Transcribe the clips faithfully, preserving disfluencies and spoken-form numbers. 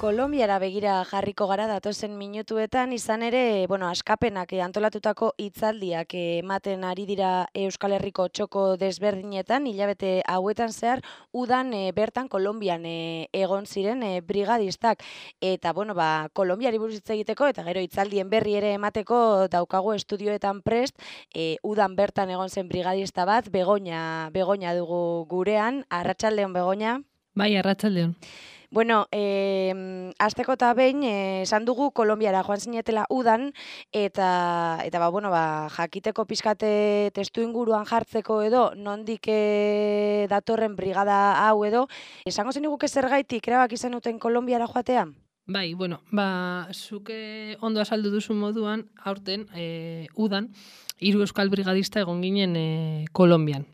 Kolonbiara begira jarriko gara datozen minutuetan, izan ere, bueno, askapenak antolatutako hitzaldiak ematen ari dira Euskal Herriko txoko desberdinetan, hilabete hauetan zehar, udan e, bertan Kolonbian e, egon ziren e, brigadistak. Eta, bueno, ba, Kolonbiari buruz hitz egiteko, eta gero hitzaldien berri ere emateko daukagu estudioetan prest, e, udan bertan egon zen brigadista bat, Begoña, Begoña dugu gurean, arratsaldeon Begoña. Bai, arratsaldeon. Bueno, eh, azteko eta behin, eh, esan dugu Kolonbiara joan zinetela udan, eta, eta ba, bueno, ba, jakiteko pizkate testu inguruan jartzeko edo, nondik eh, datorren brigada hau edo, esango zeniguke zergaitik erabaki zenuten Kolonbiara joatea? Bai, bueno, ba, zuke ondo azaldu duzu moduan, aurten, e, udan, hiru euskal brigadista egon ginen e, Kolonbian,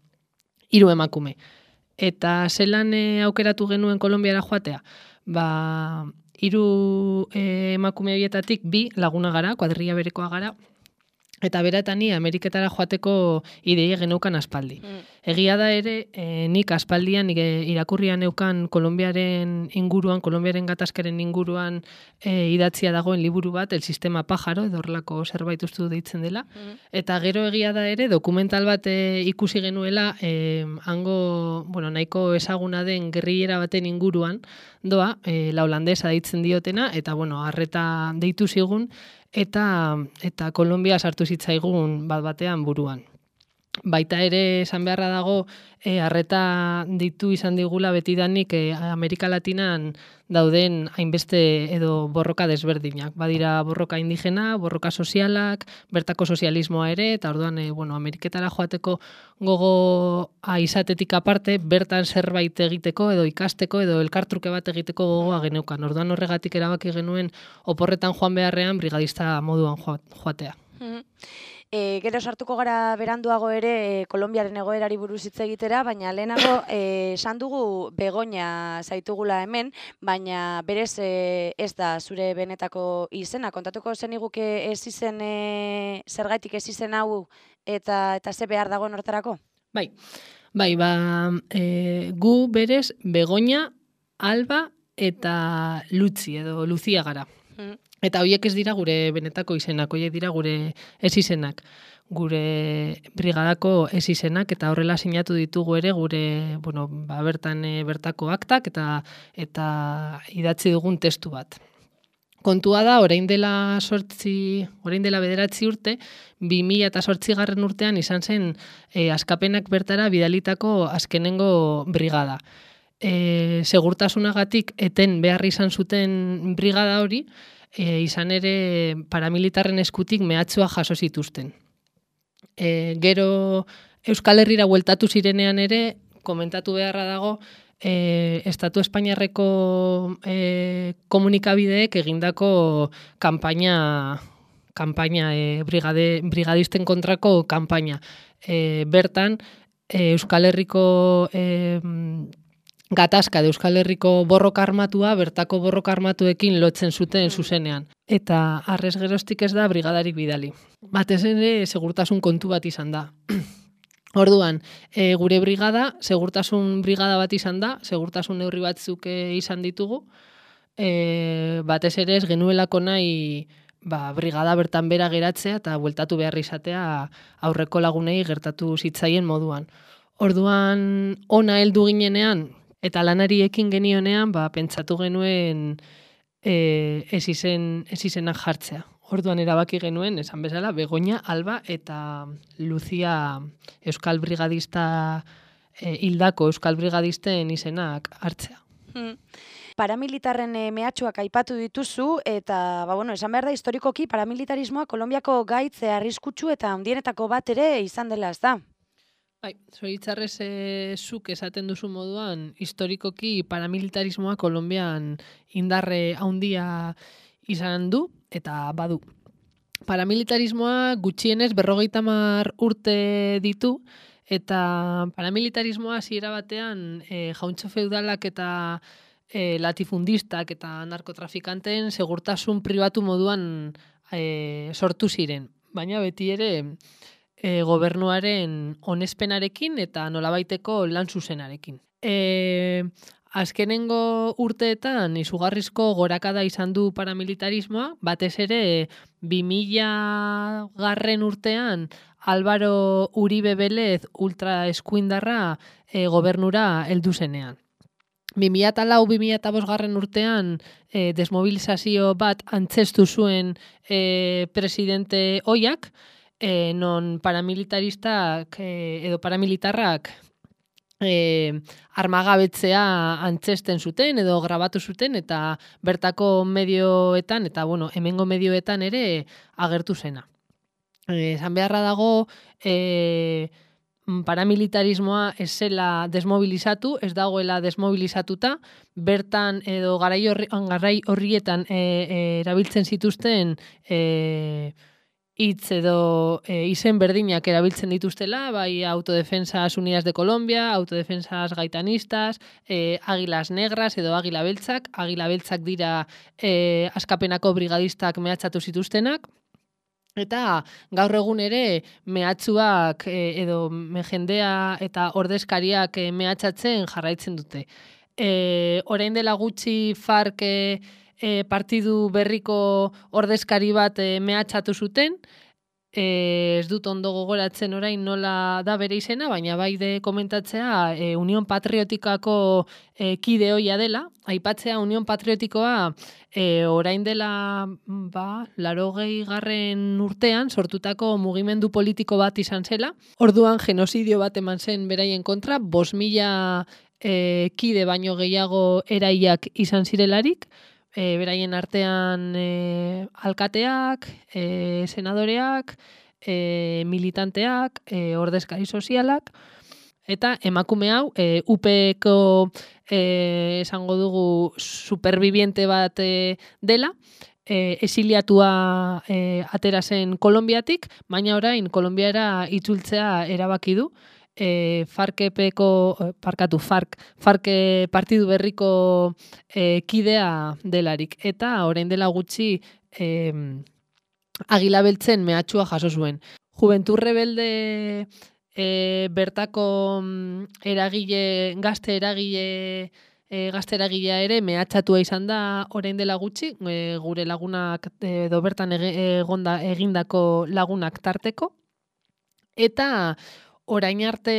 hiru emakume. Eta zelan e, aukeratu genuen Kolonbiara joatea? Ba, hiru e, emakume horietatik bi laguna gara, kuadrilla berekoa gara, eta bera eta ni Ameriketara joateko ideia geneukan aspaldi. Mm. Egia da ere, e, nik aspaldian nik irakurrian neukan Kolonbiaren inguruan, Kolonbiaren gatazkaren inguruan e, idatzia dagoen liburu bat, El Sistema Pájaro, edo horrelako zerbait uste dut deitzen dela. Mm. Eta gero egia da ere, dokumental bat e, ikusi genuela, e, hango, bueno, nahiko ezaguna den gerrillera baten inguruan, doa, e, la holandesa deitzen diotena, eta bueno, arreta deitu zigun, eta eta Kolonbia sartu zitzaigun bat batean buruan. Baita ere esan beharra dago e, arreta ditu izan digula betidanik e, Amerika Latinan dauden hainbeste edo borroka desberdinak. Badira borroka indigena, borroka sozialak, bertako sozialismoa ere, eta orduan e, bueno, Ameriketara joateko gogoa izatetik aparte, bertan zerbait egiteko edo ikasteko edo elkartruke bat egiteko gogoa geneukan. Orduan horregatik erabaki genuen oporretan joan beharrean brigadista moduan joatea. Mm-hmm. E, gero sartuko gara beranduago ere e, Kolonbiaren egoerari buruz hitz egitera, baina lehenago esan e, dugu Begoña zaitugula hemen, baina berez e, ez da zure benetako izena. Kontatuko zeniguke ez izen, e, zergaitik ez izen hau eta eta ze behar dagoen hortarako? Bai, bai, ba, e, gu berez Begoña, Alba eta Lutzi edo Luzia gara. Mm. Eta horiek ez dira gure benetako izenak, horiek dira gure ez izenak, gure brigadako ez izenak, eta horrela sinatu ditugu ere gure, bueno, ba, bertan e, bertako aktak eta eta idatzi dugun testu bat. Kontua da, orain dela sortzi, orain dela bederatzi urte, bi mila eta zortzigarren urtean izan zen e, askapenak bertara bidalitako azkenengo brigada. E, segurtasunagatik eten behar izan zuten brigada hori, E, izan ere paramilitarren eskutik mehatxua jaso zituzten. E, gero Euskal Herrira bueltatu zirenean ere, komentatu beharra dago, e, Estatu Espainiarreko e, komunikabideek egindako kanpaina, kanpaina e, brigade, brigadisten kontrako kanpaina. E, bertan, e, Euskal Herriko e, gatazka de Euskal Herriko borroka armatua bertako borroka armatuekin lotzen zuten zuzenean. Eta arrez geroztik ez da brigadarik bidali. Batez ere segurtasun kontu bat izan da. Orduan, e, gure brigada, segurtasun brigada bat izan da, segurtasun neurri batzuk e, izan ditugu, e, batez ere ez genuelako nahi ba, brigada bertan bera geratzea eta bueltatu behar izatea aurreko lagunei gertatu zitzaien moduan. Orduan, ona heldu ginenean, eta lanari ekin genionean, ba, pentsatu genuen e, ez izen, ez izenak jartzea. Orduan erabaki genuen, esan bezala, Begoña, Alba eta Luzia Euskal Brigadista, e, hildako Euskal Brigadisten izenak hartzea. Hmm. Paramilitarren e, mehatxuak aipatu dituzu, eta ba, bueno, esan behar da historikoki paramilitarismoa Kolonbiako gaitz arriskutsu eta handienetako bat ere izan dela, ez da? Bai, zoritzarrez e, zuk esaten duzu moduan, historikoki paramilitarismoa Kolonbian indarre handia izan du eta badu. Paramilitarismoa gutxienez berrogeita hamar urte ditu, eta paramilitarismoa hasiera batean e, jauntxo feudalak eta e, latifundistak eta narkotrafikanteen segurtasun pribatu moduan e, sortu ziren. Baina beti ere E, gobernuaren onespenarekin eta nolabaiteko lan zuzenarekin. E, azkenengo urteetan izugarrizko gorakada izan du paramilitarismoa, batez ere bi mila garren urtean Álvaro Uribe Vélez ultra eskuindarra e, gobernura heldu zenean. bi mila lau bi mila bost garren urtean e, desmobilizazio bat antzestu zuen e, presidente oiak, e, non paramilitaristak e, edo paramilitarrak e, armagabetzea antzesten zuten edo grabatu zuten eta bertako medioetan eta bueno, hemengo medioetan ere agertu zena. Esan beharra dago e, paramilitarismoa ez zela desmobilizatu, ez dagoela desmobilizatuta, bertan edo garai horri, garai horrietan e, e, erabiltzen zituzten e, hitz edo e, izen berdinak erabiltzen dituztela, bai Autodefensas Unidas de Colombia, Autodefensas Gaitanistas, e, Águilas Negras edo Águila Beltzak, Águila Beltzak dira e, askapenako brigadistak mehatxatu zituztenak, eta gaur egun ere mehatxuak e, edo jendea eta ordezkariak e, mehatxatzen jarraitzen dute. E, orain dela gutxi FARC e, e, partidu berriko ordezkari bat e, mehatxatu zuten, e, ez dut ondo gogoratzen orain nola da bere izena, baina bai de komentatzea e, Unión Patriotikako e, kide hoia dela, aipatzea Unión Patriotikoa e, orain dela ba, larogei garren urtean sortutako mugimendu politiko bat izan zela, orduan genozidio bat eman zen beraien kontra, bost mila e, kide baino gehiago eraiak izan zirelarik, E, beraien artean e, alkateak, e, senadoreak, e, militanteak, e, ordezkari sozialak, eta emakume hau e, U P ko e, esango dugu superviviente bat e, dela, e, exiliatua e, atera zen Kolonbiatik, baina orain Kolonbiara itzultzea erabaki du. E, FARC-epeko, parkatu, FARC, FARC partidu berriko e, kidea delarik. Eta orain dela gutxi e, Águila Beltzen mehatxua jaso zuen. Juventud Rebelde e, bertako eragile, gazte eragile, e, gazte eragilea ere mehatxatua izan da orain dela gutxi, e, gure lagunak edo bertan egonda egindako lagunak tarteko. Eta orain arte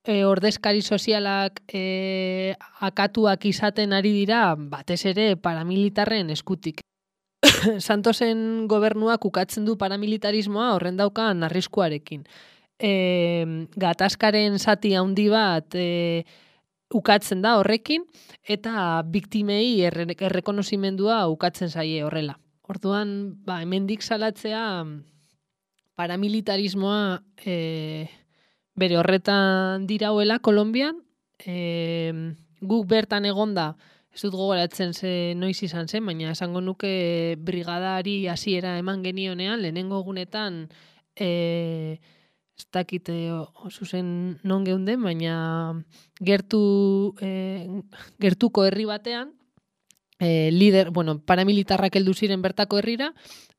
e, ordezkari sozialak e, akatuak izaten ari dira, batez ere paramilitarren eskutik. Santosen gobernuak ukatzen du paramilitarismoa horren daukan arriskuarekin. E, gatazkaren zati handi bat e, ukatzen da horrekin, eta biktimei erre, errekonozimendua ukatzen zaie horrela. Orduan, ba, hemendik salatzea paramilitarismoa e, bere horretan dirauela Kolonbian, e, guk bertan egonda, ez dut gogoratzen ze noiz izan zen, baina esango nuke brigadari hasiera eman genionean, lehenengo egunetan e, ez dakit zuzen non geunden, baina gertu, e, gertuko herri batean, e, lider, bueno, paramilitarrak heldu ziren bertako herrira,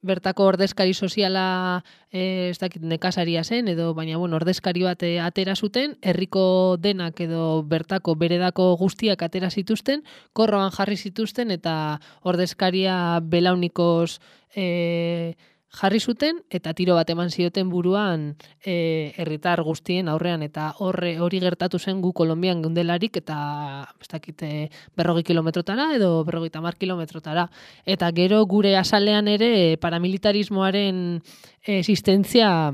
bertako ordezkari soziala e, ez dakit nekasaria zen, edo baina bueno, ordezkari bat e, atera zuten, herriko denak edo bertako beredako guztiak atera zituzten, korroan jarri zituzten eta ordezkaria belaunikoz e, jarri zuten eta tiro bat eman zioten buruan e, herritar guztien aurrean eta horre hori gertatu zen gu Kolonbian geundelarik eta ez dakit berrogei kilometrotara edo berrogeita hamar kilometrotara. Eta gero gure azalean ere paramilitarismoaren existentzia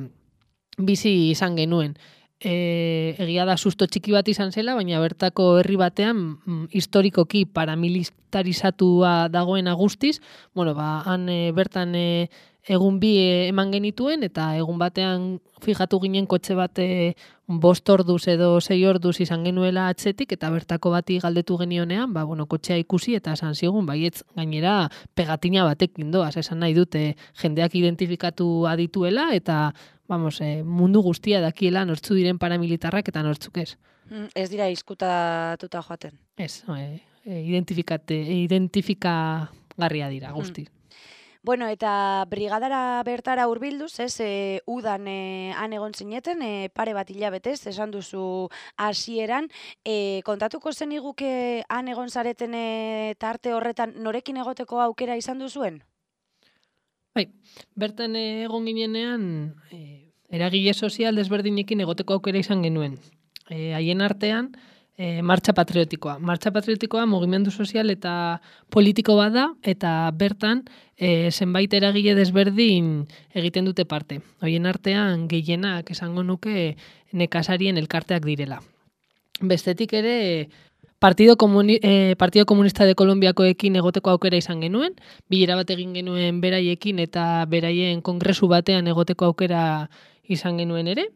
bizi izan genuen. E, egia da susto txiki bat izan zela, baina bertako herri batean mm, historikoki paramilitarizatua dagoena guztiz, bueno, ba, han e, bertan e, egun bi eman genituen, eta egun batean fijatu ginen kotxe bat e, bost orduz edo sei orduz izan genuela atzetik, eta bertako bati galdetu genionean, ba, bueno, kotxea ikusi eta esan zigun, baietz gainera pegatina batekin doaz, esan nahi dute jendeak identifikatu adituela, eta vamos, eh, mundu guztia dakiela nortzu diren paramilitarrak eta nortzuk ez. Ez dira izkutatuta joaten. Ez, eh, identifikate, identifikagarria dira guzti. Bueno, eta brigadara bertara hurbilduz, ez, e, udan e, han egon zineten, e, pare bat hilabetez, esan duzu hasieran, e, kontatuko zeniguke han egon zareten e, tarte horretan norekin egoteko aukera izan duzuen? Bai, bertan egon ginenean, e, eragile sozial desberdinekin egoteko aukera izan genuen. E, haien artean, e, martxa patriotikoa. Martxa patriotikoa mugimendu sozial eta politiko bada, eta bertan e, zenbait eragile desberdin egiten dute parte. Haien artean gehienak esango nuke nekazarien elkarteak direla. Bestetik ere, Partido, Comuni eh, Partido Comunista de Kolombiakoekin egoteko aukera izan genuen, bilera bat egin genuen beraiekin eta beraien kongresu batean egoteko aukera izan genuen ere.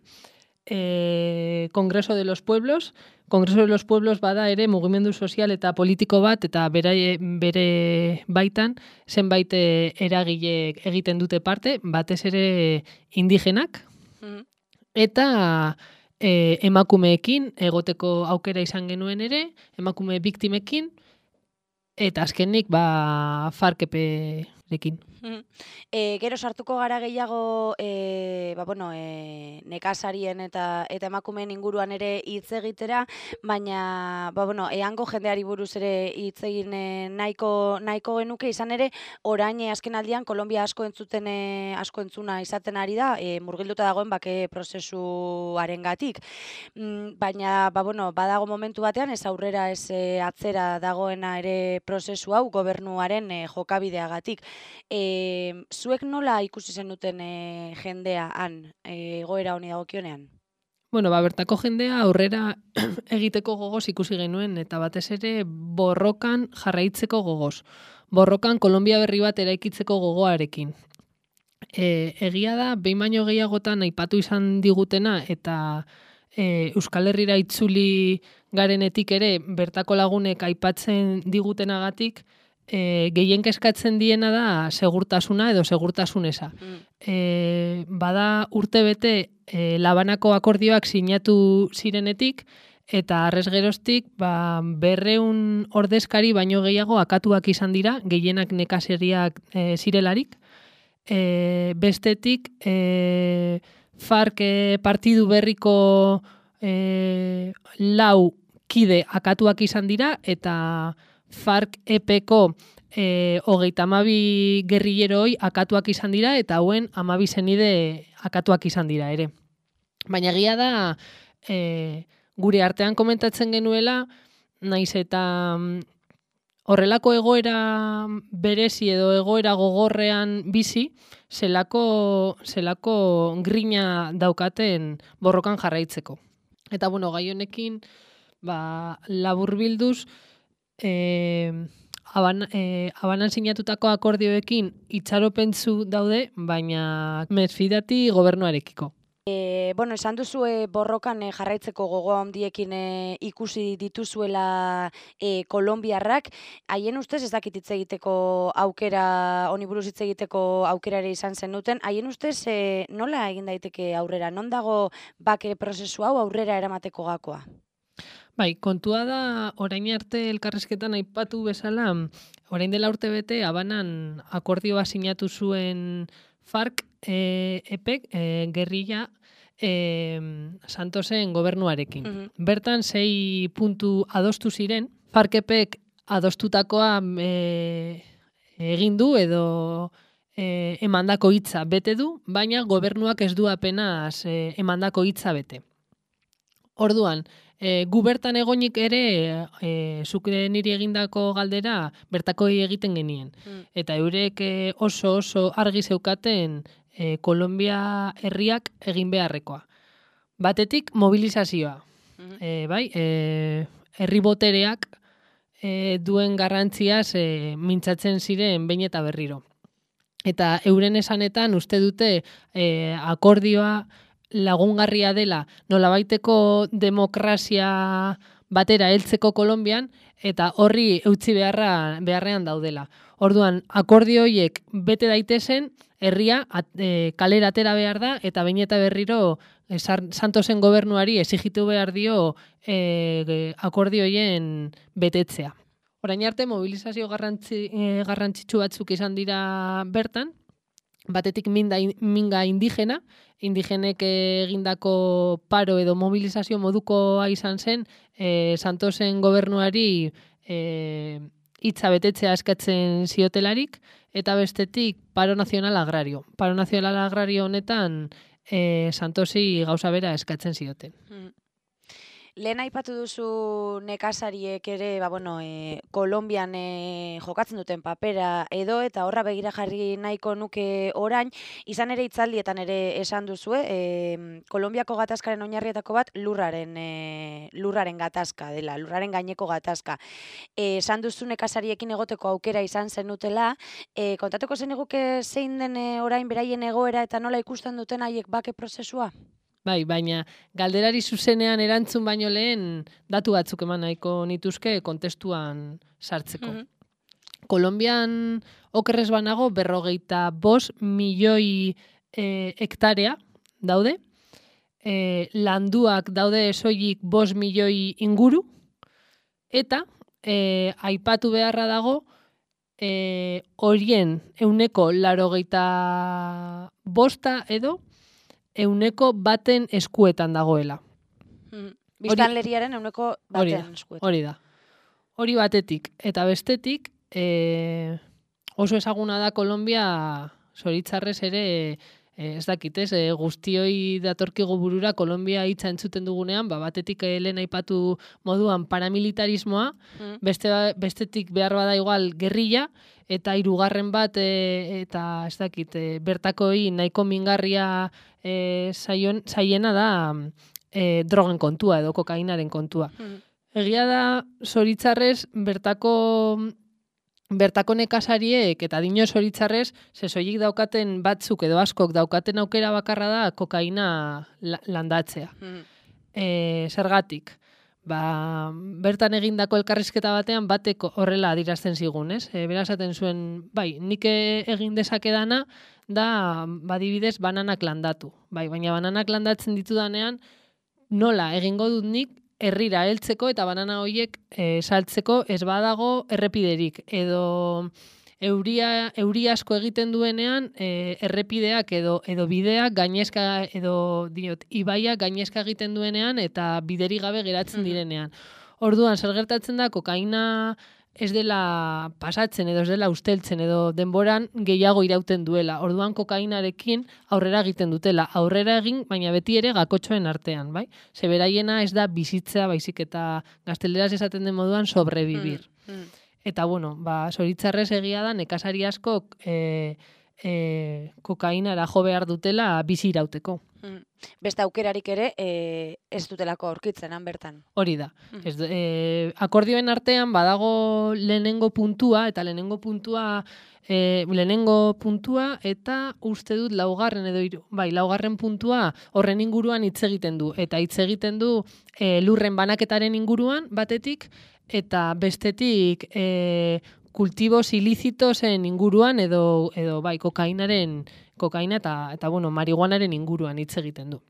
E, Kongreso de los Pueblos, Kongreso de los Pueblos bada ere mugimendu sozial eta politiko bat, eta bere, bere baitan zenbait eragile egiten dute parte, batez ere indigenak, mm. eta E, emakumeekin egoteko aukera izan genuen ere, emakume biktimekin, eta azkenik ba farkeperekin. E, gero sartuko gara gehiago e, ba, bueno, e, nekazarien eta eta emakumeen inguruan ere hitz egitera, baina ba, bueno, eango jendeari buruz ere hitz egin e, nahiko, nahiko genuke, izan ere, orain e, azken aldian Kolombia asko entzuten e, asko entzuna izaten ari da, e, murgilduta dagoen bake prozesuarengatik. Mm, baina ba, bueno, badago momentu batean ez aurrera ez e, atzera dagoena ere prozesu hau gobernuaren e, jokabideagatik. E, E, zuek nola ikusi zenuten e, jendea han, e, egoera honi dagokionean? Bueno, ba, bertako jendea aurrera egiteko gogoz ikusi genuen, eta batez ere borrokan jarraitzeko gogoz. Borrokan Kolombia berri bat eraikitzeko gogoarekin. E, egia da, behin baino gehiagotan aipatu izan digutena, eta e, Euskal Herrira itzuli garenetik ere, bertako lagunek aipatzen digutenagatik, E, gehien kezkatzen diena da segurtasuna edo segurtasuneza. Mm. E, bada urte bete e, Labanako akordioak sinatu zirenetik, eta arrez geroztik ba, berreun ordezkari baino gehiago akatuak izan dira, gehienak nekazeriak e, zirelarik. E, bestetik, e, FARC e, partidu berriko e, lau kide akatuak izan dira, eta FARC-epeko e, hogeita hamabi gerrilleroi akatuak izan dira, eta hauen hamabi zenide akatuak izan dira ere. Baina egia da, e, gure artean komentatzen genuela, naiz eta horrelako egoera berezi edo egoera gogorrean bizi, zelako, zelako grina daukaten borrokan jarraitzeko. Eta bueno, gai honekin ba, laburbilduz, E, aban, e, abanan sinatutako akordioekin itxaropentzu daude, baina mesfidati gobernuarekiko. E, bueno, esan duzu e, borrokan e, jarraitzeko gogoa handiekin e, ikusi dituzuela e, kolombiarrak, haien ustez ez dakit hitz egiteko aukera, honi buruz hitz egiteko aukera ere izan zenuten, haien ustez e, nola egin daiteke aurrera, non dago bake prozesu hau aurrera eramateko gakoa? Bai, kontua da, orain arte elkarrizketan aipatu bezala, orain dela urte bete, Habanan akordioa sinatu zuen FARC-epek, e, e, gerrilla, e, Santosen gobernuarekin. Mm-hmm. Bertan, sei puntu adostu ziren, FARC-epek adostutakoa e, egin du edo e, emandako hitza bete du, baina gobernuak ez du apenas e, emandako hitza bete. Orduan, E, gu bertan egonik ere, e, zuk niri egindako galdera bertako egiten genien. Mm. Eta eurek e, oso oso argi zeukaten e, Kolombia herriak egin beharrekoa. Batetik, mobilizazioa. Mm-hmm. E, bai, e, herri botereak e, duen garrantziaz e, mintzatzen ziren behin eta berriro. Eta euren esanetan uste dute e, akordioa lagungarria dela nolabaiteko demokrazia batera heltzeko Kolonbian, eta horri eutzi beharra, beharrean daudela. Orduan, akordio horiek bete daitezen, herria at, e, kalera atera behar da, eta behin eta berriro e, Santosen gobernuari exigitu behar dio e, akordio horien betetzea. Orain arte mobilizazio garrantzi, eh, garrantzitsu batzuk izan dira bertan, batetik minda, minga indigena, indigenek egindako paro edo mobilizazio modukoa izan zen, eh, Santosen gobernuari eh, hitza betetzea eskatzen ziotelarik, eta bestetik paro nazional agrario. Paro nazional agrario honetan eh, Santosi gauza bera eskatzen zioten. Mm. Lehen aipatu duzu nekazariek ere, ba, bueno, e, Kolonbian e, jokatzen duten papera edo, eta horra begira jarri nahiko nuke orain, izan ere hitzaldietan ere esan duzu, e, Kolonbiako gatazkaren oinarrietako bat lurraren, e, lurraren gatazka dela, lurraren gaineko gatazka. E, esan duzu nekazariekin egoteko aukera izan zenutela, e, kontatuko zeniguke zein den e, orain beraien egoera eta nola ikusten duten haiek bake prozesua? Bai, baina galderari zuzenean erantzun baino lehen datu batzuk eman nahiko nituzke kontestuan sartzeko. Mm-hmm. Kolonbian okerrez banago berrogeita bost milioi e, hektarea daude, e, landuak daude soilik bost milioi inguru, eta e, aipatu beharra dago e, horien euneko laurogeita bosta edo euneko baten eskuetan dagoela. Hmm. Biztanleriaren euneko baten eskuetan. Hori da. Hori batetik. Eta bestetik, e, oso ezaguna da Kolonbia, zoritzarrez ere, e, ez dakit ez, e, guztioi datorkigu burura Kolonbia hitza entzuten dugunean, ba, batetik lehen aipatu moduan paramilitarismoa, hmm. beste, bestetik behar bada igual gerrilla, eta hirugarren bat e, eta ez dakit, e, bertakoi nahiko mingarria e, zaion, zaiena da e, drogen kontua edo kokainaren kontua. Mm. Egia da, zoritzarrez, bertako bertako nekazariek eta dino zoritzarrez, zezoilik daukaten batzuk edo askok daukaten aukera bakarra da kokaina landatzea. Mm. E, zergatik? Ba, bertan egindako elkarrizketa batean batek horrela adirazten zigun, ez? E, Bera esaten zuen, bai, nik egin dezakedana da, badibidez, bananak landatu. Bai, baina bananak landatzen ditudanean, nola egingo dut nik herrira heltzeko eta banana horiek e, saltzeko ez badago errepiderik. Edo euria, euri asko egiten duenean e, errepideak edo edo bideak gainezka edo diot ibaiak gainezka egiten duenean eta bideri gabe geratzen direnean. Orduan zer gertatzen da kokaina ez dela pasatzen edo ez dela usteltzen edo denboran gehiago irauten duela. Orduan kokainarekin aurrera egiten dutela. Aurrera egin, baina beti ere gakotxoen artean, bai? Ze beraiena ez da bizitzea, baizik eta gazteleraz esaten den moduan sobrevivir. Mm, mm. Eta, bueno, ba, zoritzarrez egia da, nekazari askok e, e, kokainara jo behar dutela bizi irauteko. Mm. Beste aukerarik ere e, ez dutelako aurkitzen han bertan. Hori da. Mm. Ez, e, akordioen artean badago lehenengo puntua, eta lehenengo puntua e, lehenengo puntua eta uste dut laugarren edo hiru. Bai, laugarren puntua horren inguruan hitz egiten du. Eta hitz egiten du e, lurren banaketaren inguruan batetik, eta bestetik e, kultibos ilizitosen inguruan edo, edo bai, kokainaren, kokaina eta, eta bueno, marihuanaren inguruan hitz egiten du.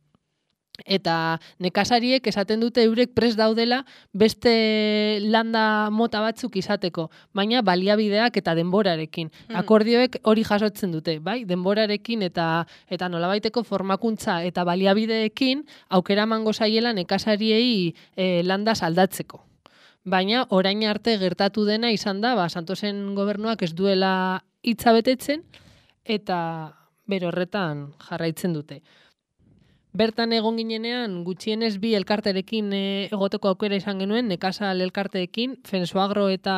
Eta nekazariek esaten dute eurek prest daudela beste landa mota batzuk izateko, baina baliabideak eta denborarekin. Mm. Akordioek hori jasotzen dute, bai? Denborarekin eta eta nolabaiteko formakuntza eta baliabideekin aukera emango zaiela nekazariei e, landa aldatzeko. Baina orain arte gertatu dena izan da, ba, Santosen gobernuak ez duela hitza betetzen eta bere horretan jarraitzen dute. Bertan egon ginenean, gutxienez bi elkarterekin e, egoteko aukera izan genuen, nekazal elkarteekin, Fensoagro eta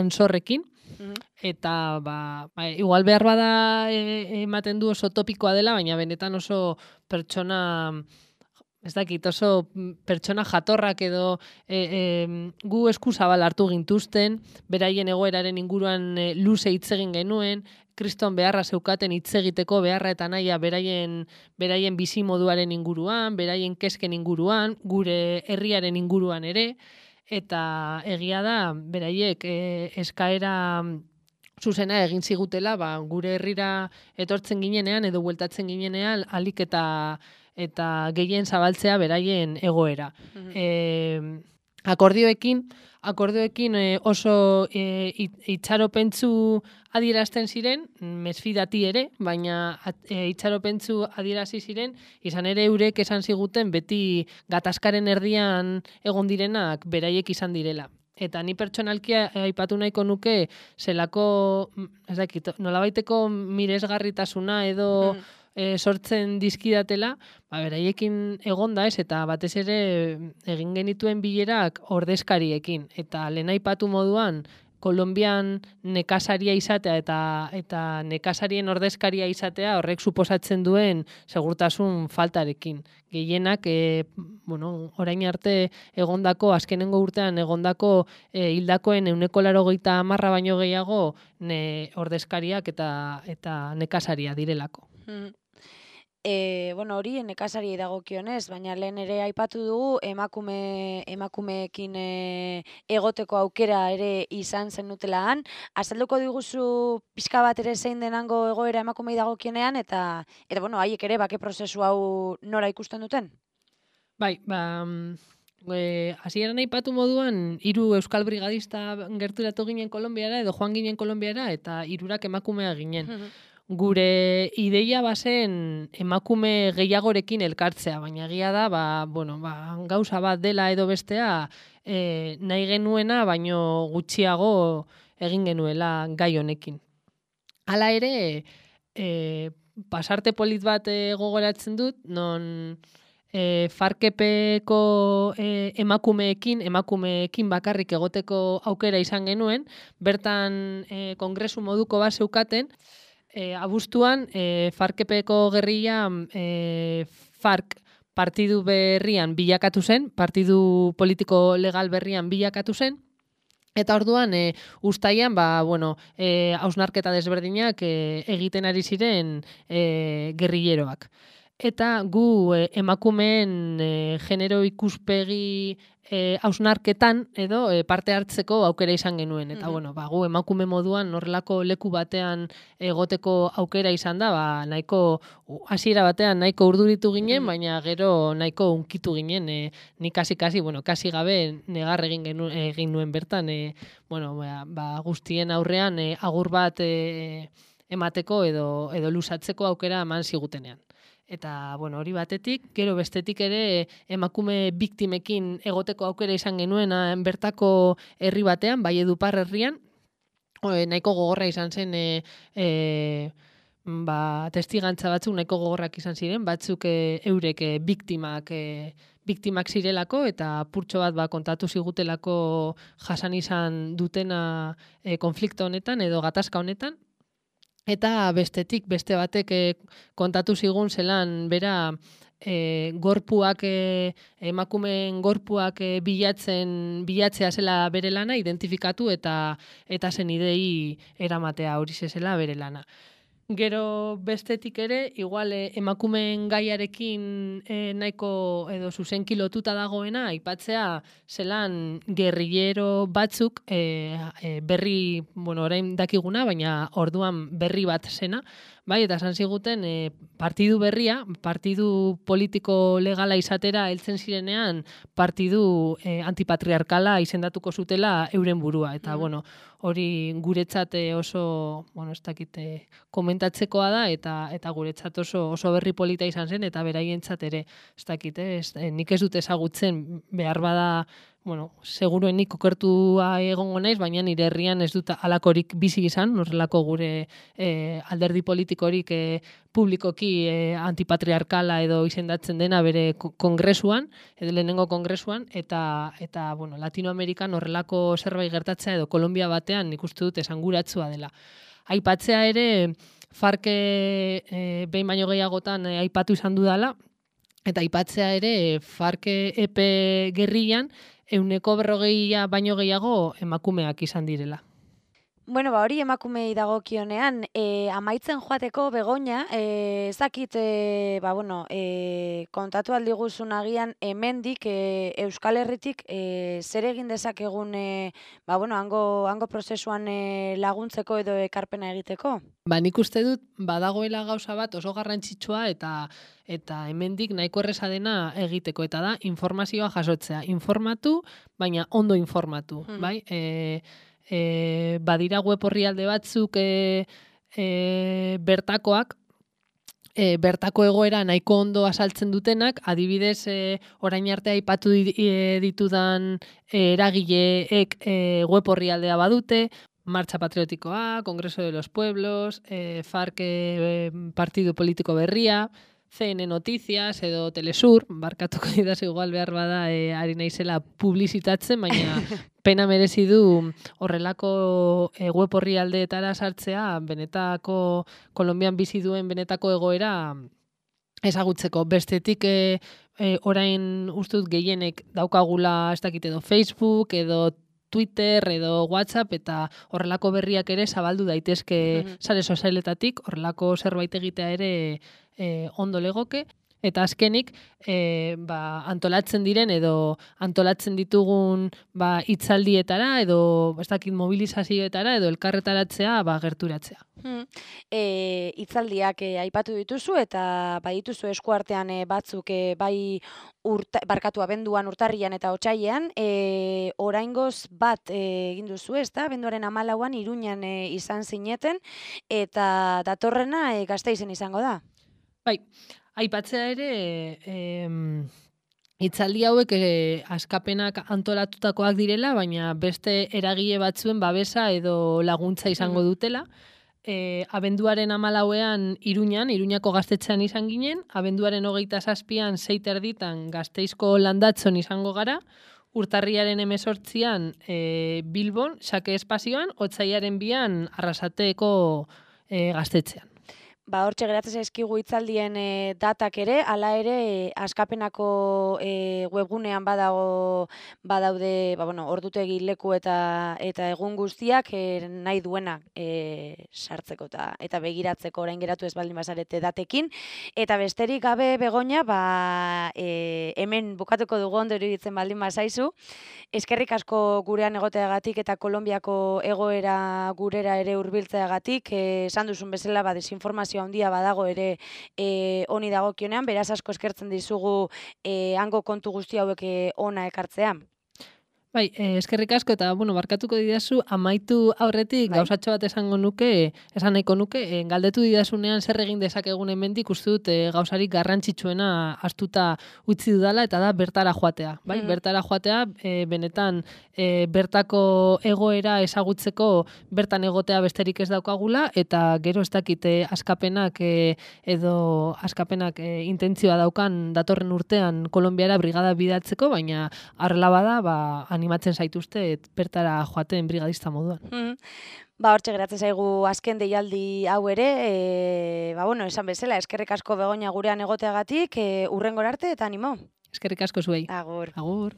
Ansorrekin, mm-hmm. eta ba, ba, igual behar bada e, ematen du oso topikoa dela, baina benetan oso pertsona, ez dakit, oso pertsona jatorrak edo e, e, gu eskuzabal hartu gintuzten, beraien egoeraren inguruan e, luze hitz egin genuen, kriston beharra zeukaten hitz egiteko beharra eta nahia beraien, beraien bizimoduaren inguruan, beraien kezken inguruan, gure herriaren inguruan ere, eta egia da, beraiek e, eskaera zuzena egin zigutela, ba, gure herrira etortzen ginenean edo bueltatzen ginenean alik eta eta gehien zabaltzea beraien egoera. Mm-hmm. E, akordioekin, akordioekin oso e, itxaropentzu adierazten ziren, mesfidati ere, baina e, itxaropentzu adierazi ziren, izan ere eurek esan ziguten beti gatazkaren erdian egon direnak beraiek izan direla. Eta ni pertsonalkia aipatu nahiko nuke zelako, ez dakit, nolabaiteko miresgarritasuna edo mm. e, sortzen dizkidatela, ba, beraiekin egonda ez, eta batez ere egin genituen bilerak ordezkariekin. Eta lehen aipatu moduan, Kolonbian nekasaria izatea eta eta nekasarien ordezkaria izatea horrek suposatzen duen segurtasun faltarekin. Gehienak, e, bueno, orain arte egondako, azkenengo urtean egondako e, hildakoen ehuneko laurogeita hamarra baino gehiago ne, ordezkariak eta eta nekasaria direlako. Mm. E, bueno, hori nekasari dagokionez, baina lehen ere aipatu dugu emakume emakumeekin e, egoteko aukera ere izan zenutela han. Azalduko diguzu pixka bat ere zein denango egoera emakumei dagokienean eta eta bueno, haiek ere bake prozesu hau nora ikusten duten? Bai, ba E, hasieran aipatu moduan hiru euskal brigadista gerturatu ginen Kolonbiara edo joan ginen Kolonbiara eta hirurak emakumea ginen. Gure ideia bazen emakume gehiagorekin elkartzea, baina egia da, ba, bueno, ba, gauza bat dela edo bestea e, nahi genuena, baino gutxiago egin genuela gai honekin. Hala ere, e, pasarte polit bat e, gogoratzen dut, non e, farkepeko e, emakumeekin, emakumeekin bakarrik egoteko aukera izan genuen, bertan e, kongresu moduko bat zeukaten, E, abuztuan, e, farkepeko gerrilla e, FARC partidu berrian bilakatu zen, partidu politiko legal berrian bilakatu zen, eta orduan, e, ustaian, ba, bueno, e, hausnarketa desberdinak e, egiten ari ziren e, gerrilleroak. Eta gu e, emakumeen e, genero ikuspegi hausnarketan e, edo e, parte hartzeko aukera izan genuen. Eta, mm-hmm. bueno, ba, gu emakume moduan horrelako leku batean egoteko aukera izan da, ba, nahiko, hasiera batean nahiko urduritu ginen, mm-hmm. baina gero nahiko unkitu ginen, e, ni kasi-kasi, bueno, kasi gabe negar egin, genu, egin nuen bertan, e, bueno, ba, ba, guztien aurrean e, agur bat e, emateko edo, edo lusatzeko aukera eman zigutenean. Eta, bueno, hori batetik, gero bestetik ere emakume biktimekin egoteko aukera izan genuen bertako herri batean, bai Edupar herrian, e, nahiko gogorra izan zen, e, e, ba, testigantza batzuk nahiko gogorrak izan ziren, batzuk e, eurek e, biktimak, e, biktimak zirelako, eta purtxo bat ba, kontatu zigutelako jasan izan dutena e, konflikto honetan edo gatazka honetan. Eta bestetik, beste batek e, kontatu zigun zelan, bera, e, gorpuak, e, emakumeen gorpuak e, bilatzen, bilatzea zela bere lana, identifikatu eta eta zen idei eramatea hori zela bere lana. Gero bestetik ere, igual e, emakumeen gaiarekin e, nahiko edo zuzenki lotuta dagoena, aipatzea zelan gerrillero batzuk e, e, berri, bueno, orain dakiguna, baina orduan berri bat zena, bai, eta esan ziguten e, partidu berria, partidu politiko legala izatera heltzen zirenean, partidu e, antipatriarkala izendatuko zutela euren burua, eta mm. bueno, hori guretzat oso, bueno, ez dakit, komentatzekoa da, eta eta guretzat oso oso berri polita izan zen, eta beraientzat ere, ez dakit, ez, nik ez dut ezagutzen, behar bada, bueno, seguruen nik okertua egongo naiz, baina nire herrian ez dut alakorik bizi izan, horrelako gure e, alderdi politikorik e, publikoki e, antipatriarkala edo izendatzen dena bere kongresuan, edo lehenengo kongresuan, eta, eta bueno, Latinoamerikan horrelako zerbait gertatzea edo Kolombia batean nik uste dut esanguratsua dela. Aipatzea ere, farke e, behin baino gehiagotan e, aipatu izan dudala, eta aipatzea ere, farke epe gerrian, euneko berrogeia baino gehiago emakumeak izan direla. Bueno, ba, hori emakumei dagokionean, e, amaitzen joateko Begoña, e, ezakit, e, ba, bueno, e, kontatu aldiguzun agian hemendik e, Euskal Herritik e, zer egin dezakegun e, ba, bueno, hango, hango prozesuan e, laguntzeko edo ekarpena egiteko? Ba, nik uste dut badagoela gauza bat oso garrantzitsua eta eta hemendik nahiko erresa dena egiteko eta da informazioa jasotzea. Informatu, baina ondo informatu, Mhm. bai? E, e, badira web orrialde batzuk e, e, bertakoak, e, bertako egoera nahiko ondo asaltzen dutenak, adibidez e, orain arte aipatu di- e, ditudan e, eragileek e, web orrialdea badute, Marcha Patriotikoa, Congreso de los Pueblos, eh, FARC eh, Partido Politiko Berria, C N Noticias edo Telesur, barkatuko didaz igual behar bada eh, ari naizela publizitatzen, baina pena merezi du horrelako eh, web orrialdeetara sartzea benetako Kolonbian bizi duen benetako egoera ezagutzeko. Bestetik e, e, orain ustut gehienek daukagula ez dakit edo Facebook edo Twitter edo WhatsApp eta horrelako berriak ere zabaldu daitezke Mhm. sare sozialetatik, horrelako zerbait egitea ere e, ondo legoke. Eta azkenik, e, ba, antolatzen diren edo antolatzen ditugun ba, hitzaldietara edo ez dakit mobilizazioetara edo elkarretaratzea ba, gerturatzea. Hmm. E, hitzaldiak e, aipatu dituzu eta bai dituzu eskuartean e, batzuk e, bai urta, barkatu abenduan, urtarrian eta otsailean, e, oraingoz bat e, egin duzu, ezta? Abenduaren hamalauan Iruñan e, izan zineten eta datorrena e, Gasteizen izango da. Bai, aipatzea ere em, hitzaldi hauek e, askapenak antolatutakoak direla, baina beste eragile batzuen babesa edo laguntza izango Mhm. dutela. E, abenduaren hamalauean Iruñan, Iruñako gaztetxean izan ginen, abenduaren hogeita zazpian sei terditan Gasteizko landatzon izango gara, urtarriaren hemezortzian e, Bilbon, Xake espazioan, otsaiaren bian Arrasateko e, gaztetxean. Ba, hortxe geratzen zaizkigu hitzaldien e, datak ere, hala ere e, askapenako e, webgunean badago badaude, ba, bueno, ordutegi leku eta eta egun guztiak e, nahi duena e, sartzeko eta eta begiratzeko orain geratu ez baldin bazarete datekin. Eta besterik gabe Begoña, ba, e, hemen bukatuko dugu ondo iruditzen baldin bazaizu. Eskerrik asko gurean egoteagatik eta Kolonbiako egoera gurera ere hurbiltzeagatik, eh, esan duzun bezala ba desinformazio handia badago ere eh, honi dagokionean, beraz asko eskertzen dizugu eh, hango kontu guzti hauek eh, hona ekartzea. Bai, eh, eskerrik asko eta bueno, barkatuko didazu amaitu aurretik Bai. gauzatxo bat esango nuke, esan nahiko nuke, eh, galdetu didazunean zer egin dezakegun hemendik uste dut eh, gauzarik garrantzitsuena astuta utzi dudala eta da bertara joatea, bai? Mhm. Bertara joatea eh, benetan eh, bertako egoera ezagutzeko bertan egotea besterik ez daukagula eta gero ez dakit eh, askapenak eh, edo askapenak eh, intentzioa daukan datorren urtean Kolonbiara brigada bidatzeko, baina harrela bada, ba animatzen zaituzte bertara joaten brigadista moduan. Mhm. Ba, hortxe geratzen zaigu azken deialdi hau ere, e, ba, bueno, esan bezala, eskerrik asko Begoña gurean egoteagatik, e, hurrengora arte eta animo. Eskerrik asko zuei. Agur. Agur.